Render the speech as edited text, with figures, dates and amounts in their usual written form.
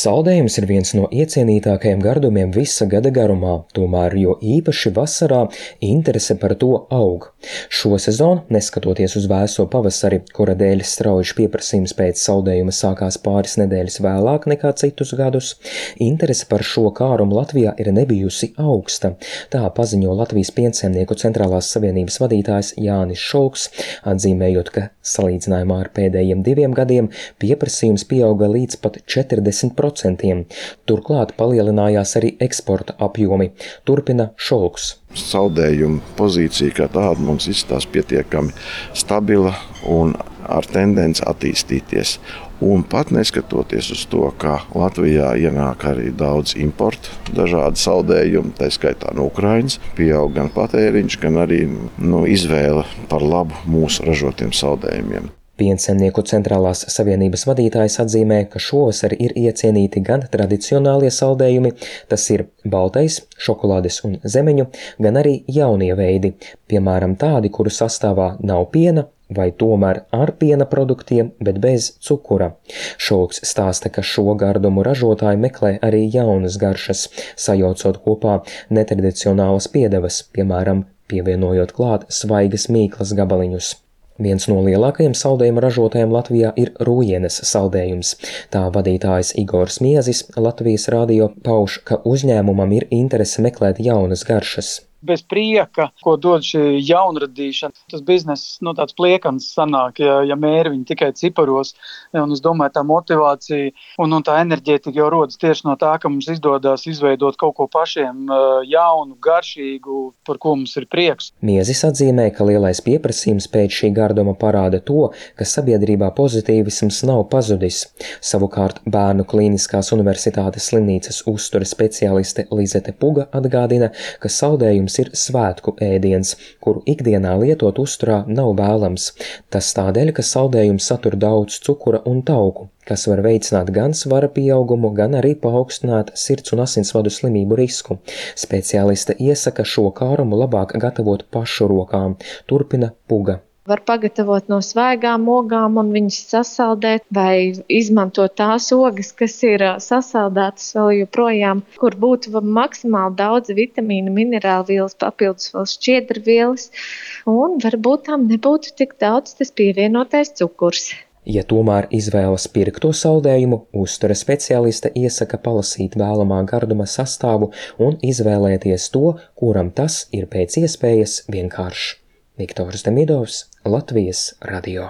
Saldējums ir viens no iecienītākajiem gardumiem visa gada garumā, tomēr jo īpaši vasarā interese par to aug. Šo sezonu, neskatoties uz vēso pavasari, kura dēļ strauji pieprasījums pēc saldējuma sākās pāris nedēļas vēlāk nekā citus gadus, interese par šo kārumu Latvijā ir nebijusi augsta. Tā paziņo Latvijas piensaimnieku centrālās savienības vadītājs Jānis Šolks, atzīmējot, ka salīdzinājumā ar pēdējiem 2 gadiem pieprasījums pieauga līdz pat 40%. Turklāt palielinājās arī eksporta apjomi, turpina Šolks. Saldējuma pozīcija kā tāda mums izskatās pietiekami stabila un ar tendenci attīstīties. Un pat neskatoties uz to, ka Latvijā ienāk arī daudz importu, dažādi saldējumi, tā skaitā no Ukrainas, pieaug gan patēriņš, gan arī izvēle par labu mūsu ražotiem saldējumiem. Piensaimnieku centrālās savienības vadītājs atzīmē, ka šovasar ir iecienīti gan tradicionālie saldējumi, tas ir baltais, šokolādes un zemeņu, gan arī jaunie veidi, piemēram tādi, kuru sastāvā nav piena, vai tomēr ar piena produktiem, bet bez cukura. Šolks stāsta, ka šo gardumu ražotāji meklē arī jaunas garšas, sajaucot kopā netradicionālas piedevas, piemēram, pievienojot klāt svaigas mīklas gabaliņus. Viens no lielākajiem saldējuma ražotājiem Latvijā ir Rūjienes saldējums. Tā vadītājs Igors Miezis Latvijas radio pauž, ka uzņēmumam ir interese meklēt jaunas garšas. Bez prieka, ko dod šī jaunradīšana, tas bizness tāds pliekans sanāk, ja mēri viņi tikai ciparos. Un es domāju, tā motivācija un tā enerģētika jau rodas tieši no tā, ka mums izdodas izveidot kaut ko pašiem jaunu, garšīgu, par ko mums ir prieks. Miezis atzīmē, ka lielais pieprasījums pēc šī garduma parāda to, ka sabiedrībā pozitīvisms nav pazudis. Savukārt Bērnu Klīniskās universitātes slimnīcas uzturas speciāliste Lizete Puga atgādina, ka saldējums ir svētku ēdiens, kuru ikdienā lietot uzturā nav vēlams. Tas tādēļ, ka saldējums satur daudz cukura un tauku, kas var veicināt gan svara pieaugumu, gan arī paaugstināt sirds un asinsvadu slimību risku. Speciāliste iesaka šo kārumu labāk gatavot pašu rokām, turpina Puga. Var pagatavot no svaigām ogām un viņas sasaldēt, vai izmantot tās ogas, kas ir sasaldētas vēl joprojām, kur būtu maksimāli daudz vitamīnu, minerālu vielas, papildus vēl šķiedrvielas, un varbūt tam nebūtu tik daudz tas pievienotais cukurs. Ja tomēr izvēlas pirkto saldējumu, uztura speciāliste iesaka palasīt vēlamā garduma sastāvu un izvēlēties to, kuram tas ir pēc iespējas vienkāršs. Viktors Demidovs, Latvijas radio.